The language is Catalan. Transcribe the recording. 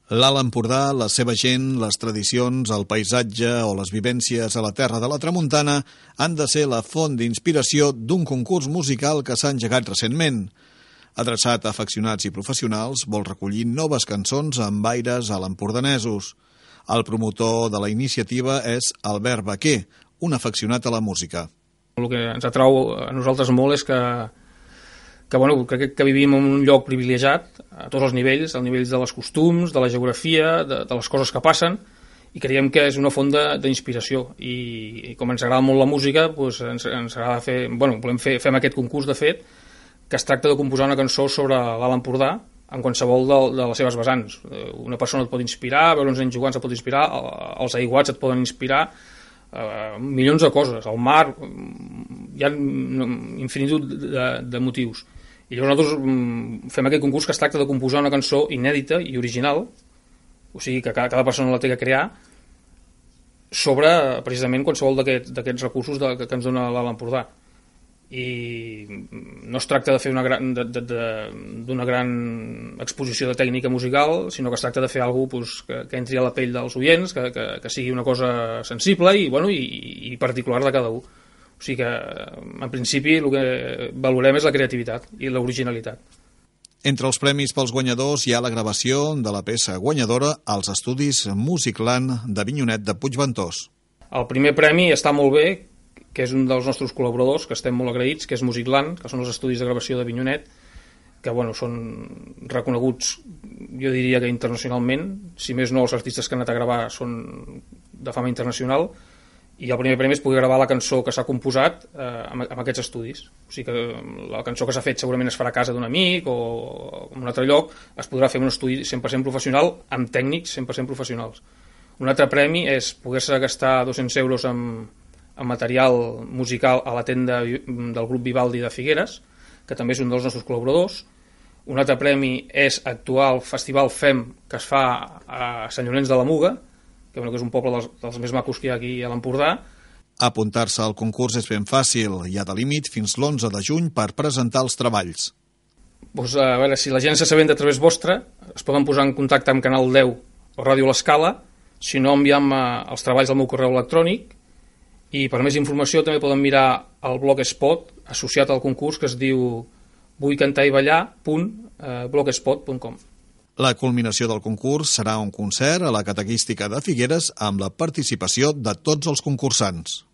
L'Alt Empordà, la seva gent, les tradicions, el paisatge o les vivències a la terra de la Tramuntana han de ser la font d'inspiració d'un concurs musical que s'ha engegat recentment. Adreçat a afeccionats i professionals, vol recollir noves cançons amb aires a l'empordanesos. El promotor de la iniciativa és Albert Baquer, un afeccionat a la música. El que ens atrau a nosaltres molt és que crec que vivim en un lloc privilegiat a tots els nivells, al nivell de les costums, de la geografia, de les coses que passen, i creiem que és una font d'inspiració. I com ens agrada molt la música, doncs ens agrada fem aquest concurs, de fet, que es tracta de composar una cançó sobre l'Alt Empordà en qualsevol de les seves vessants. Una persona et pot inspirar, veure uns nens jugant et pot inspirar, els aiguats et poden inspirar, milions de coses, el mar, hi ha infinitud de motius. I llavors nosaltres fem aquest concurs que es tracta de composar una cançó inèdita i original, o sigui que cada persona la té que crear, sobre precisament qualsevol d'aquests recursos que ens dona l'Alt Empordà. I no es tracta de fer d'una gran exposició de tècnica musical, sinó que es tracta de fer alguna cosa que entri a la pell dels oients, que sigui una cosa sensible i particular de cada un. O sigui que, en principi, el que valorem és la creativitat i l'originalitat. Entre els premis pels guanyadors hi ha la gravació de la peça guanyadora als estudis Musicland d'Avinyonet de Puigventós. El primer premi està molt bé, que és un dels nostres col·laboradors, que estem molt agraïts, que és Musicland, que són els estudis de gravació d'Avinyonet, que són reconeguts, jo diria que internacionalment, si més no els artistes que han anat a gravar són de fama internacional, i el primer premi és poder gravar la cançó que s'ha composat amb aquests estudis. O sigui que la cançó que s'ha fet segurament es farà a casa d'un amic o en un altre lloc, es podrà fer en un estudi 100% professional amb tècnics 100% professionals. Un altre premi és poder-se gastar 200 euros en material musical a la tenda del grup Vivaldi de Figueres, que també és un dels nostres col·laboradors. Un altre premi és actuar al Festival FEM, que es fa a Sant Llorenç de la Muga, que és un poble dels més macos que hi ha aquí a l'Empordà. Apuntar-se al concurs és ben fàcil. Hi ha de límit fins l'11 de juny per presentar els treballs. A veure, si la gent s'assabenta a través vostra, es poden posar en contacte amb Canal 10 o Ràdio L'Escala, si no enviam els treballs al meu correu electrònic, i per més informació també poden mirar el Blogspot associat al concurs, que es diu vullcantariballar.blogspot.com. La culminació del concurs serà un concert a la Catequística de Figueres amb la participació de tots els concursants.